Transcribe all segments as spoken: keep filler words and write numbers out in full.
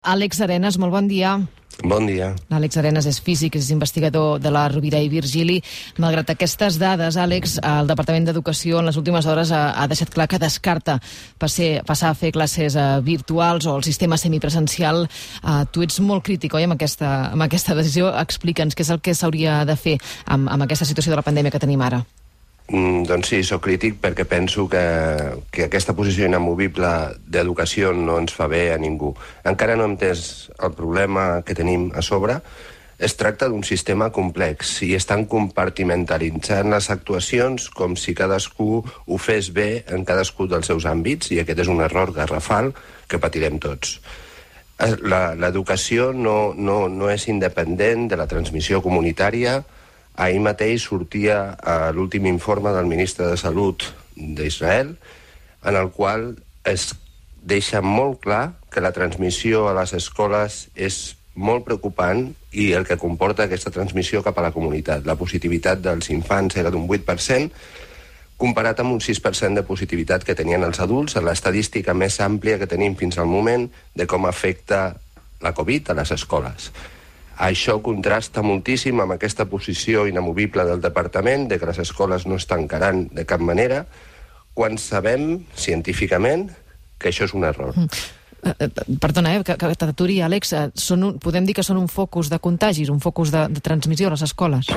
Àlex Arenas, molt bon dia. Bon dia. Àlex Arenas és físic, és investigador de la Rovira i Virgili. Malgrat aquestes dades, Àlex, el Departament d'Educació en les últimes hores ha, ha deixat clar que descarta passer, passar a fer classes uh, virtuals o el sistema semipresencial. Uh, tu ets molt crític, oi, amb aquesta, amb aquesta decisió. Explica'ns què és el que s'hauria de fer amb, amb aquesta situació de la pandèmia que tenim ara. Mm, doncs sí, soc crític perquè penso que, que aquesta posició inamovible d'educació no ens fa bé a ningú. Encara no hem entès el problema que tenim a sobre. Es tracta d'un sistema complex i estan compartimentalitzant les actuacions com si cadascú ho fes bé en cadascú dels seus àmbits, i aquest és un error garrafal que patirem tots. L'educació no, no, no és independent de la transmissió comunitària. Ahir mateix sortia uh, l'últim informe del ministre de Salut d'Israel, en el qual es deixa molt clar que la transmissió a les escoles és molt preocupant i el que comporta aquesta transmissió cap a la comunitat. La positivitat dels infants era d'un vuit per cent, comparat amb un sis per cent de positivitat que tenien els adults, en l'estadística més àmplia que tenim fins al moment de com afecta la Covid a les escoles. Això contrasta moltíssim amb aquesta posició inamovible del departament de que les escoles no es tancaran de cap manera, quan sabem científicament que això és un error. Mm. Uh, perdona, eh, que, que t'aturi, Àlex. Uh, són un, podem dir que són un focus de contagis, un focus de, de transmissió a les escoles?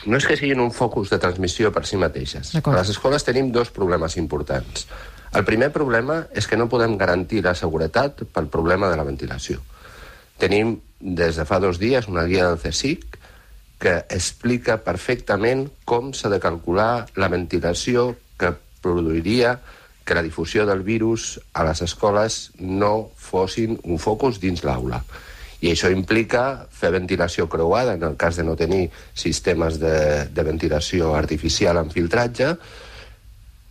No és que siguin un focus de transmissió per si mateixes. A les escoles tenim dos problemes importants. El primer problema és que no podem garantir la seguretat pel problema de la ventilació. Tenim des de fa dos dies una guia del CSIC que explica perfectament com s'ha de calcular la ventilació que produiria que la difusió del virus a les escoles no fossin un focus dins l'aula. I això implica fer ventilació creuada en el cas de no tenir sistemes de, de ventilació artificial amb filtratge,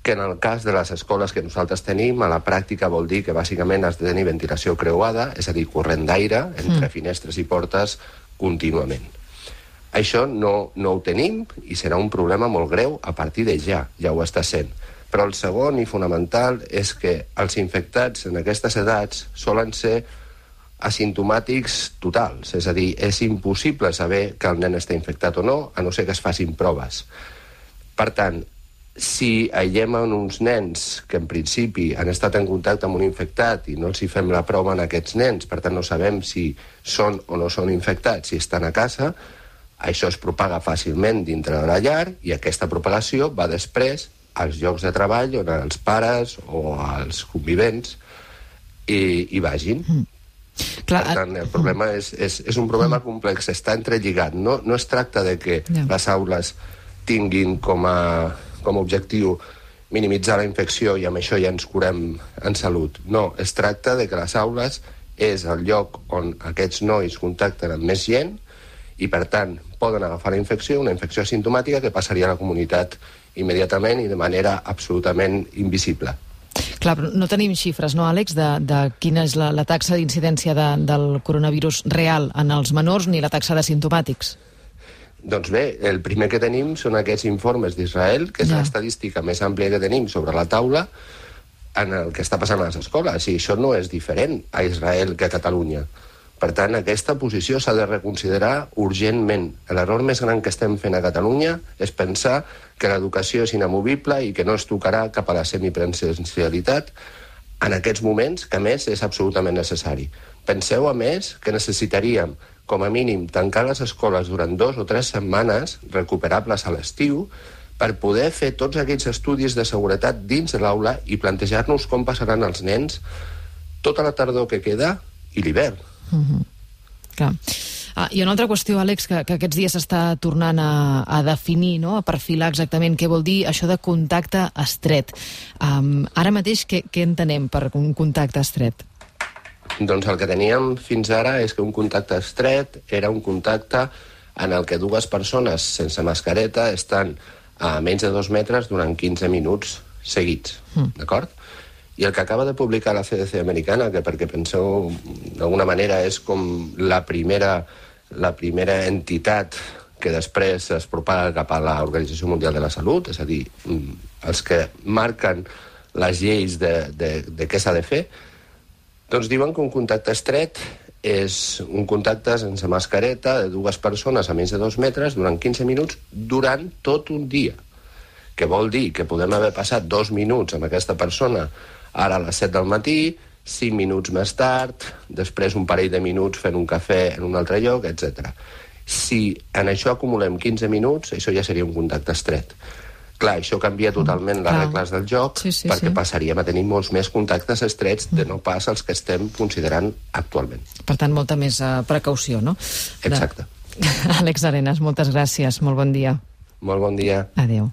que en el cas de les escoles que nosaltres tenim, a la pràctica vol dir que bàsicament has de tenir ventilació creuada, és a dir, corrent d'aire entre mm. finestres i portes contínuament. Això no, no ho tenim i serà un problema molt greu a partir de ja, ja ho està sent. Però el segon i fonamental és que els infectats en aquestes edats solen ser asimptomàtics totals, és a dir, és impossible saber que el nen està infectat o no, a no ser que es facin proves. Per tant, si aïllem en uns nens que en principi han estat en contacte amb un infectat i no els hi fem la prova en aquests nens, per tant no sabem si són o no són infectats, si estan a casa, això es propaga fàcilment dintre de la llar i aquesta propagació va després als llocs de treball on els pares o els convivents hi, hi vagin. Mm. Clar, per tant, el problema és, és, és un problema complex, està entrelligat. No, no es tracta de que no. les aules tinguin com a com a objectiu minimitzar la infecció i amb això ja ens curem en salut. No, es tracta de que les aules és el lloc on aquests nois contacten amb més gent i, per tant, poden agafar la infecció, una infecció asimptomàtica que passaria a la comunitat immediatament i de manera absolutament invisible. Clar, però no tenim xifres, no, Àlex, de, de quina és la, la taxa d'incidència de, del coronavirus real en els menors ni la taxa d'asintomàtics. Doncs bé, el primer que tenim són aquests informes d'Israel, que és ja. l'estadística més àmplia que tenim sobre la taula en el que està passant a les escoles, i això no és diferent a Israel que a Catalunya. Per tant, aquesta posició s'ha de reconsiderar urgentment. L'error més gran que estem fent a Catalunya és pensar que l'educació és inamovible i que no es tocarà cap a la semipresencialitat en aquests moments, que a més és absolutament necessari. Penseu, a més, que necessitaríem com a mínim tancar les escoles durant dos o tres setmanes, recuperables a l'estiu, per poder fer tots aquells estudis de seguretat dins de l'aula i plantejar-nos com passaran els nens tota la tardor que queda i l'hivern. Mm-hmm. Clar. Ah, hi ha una altra qüestió, Àlex, que, que aquests dies s'està tornant a, a definir, no? A perfilar exactament què vol dir això de contacte estret. Um, ara mateix, què, què entenem per un contacte estret? Doncs el que teníem fins ara és que un contacte estret era un contacte en el que dues persones sense mascareta estan a menys de dos metres durant quinze minuts seguits, mm. d'acord? I el que acaba de publicar la C D C americana, que perquè penseu d'alguna manera és com la primera, la primera entitat que després es propaga cap a l'Organització Mundial de la Salut, és a dir, els que marquen les lleis de, de, de què s'ha de fer, Doncs diuen que un contacte estret és un contacte sense mascareta de dues persones a menys de dos metres durant quinze minuts durant tot un dia. Que vol dir que podem haver passat dos minuts amb aquesta persona ara a les set del matí, cinc minuts més tard, després un parell de minuts fent un cafè en un altre lloc, etcètera. Si en això acumulem quinze minuts, això ja seria un contacte estret. Clar, això canvia totalment les regles del joc, sí, sí, perquè sí. passaríem a tenir molts més contactes estrets de no pas els que estem considerant actualment. Per tant, molta més uh, precaució, no? Exacte. De... Àlex Arenas, moltes gràcies. Molt bon dia. Molt bon dia. Adéu.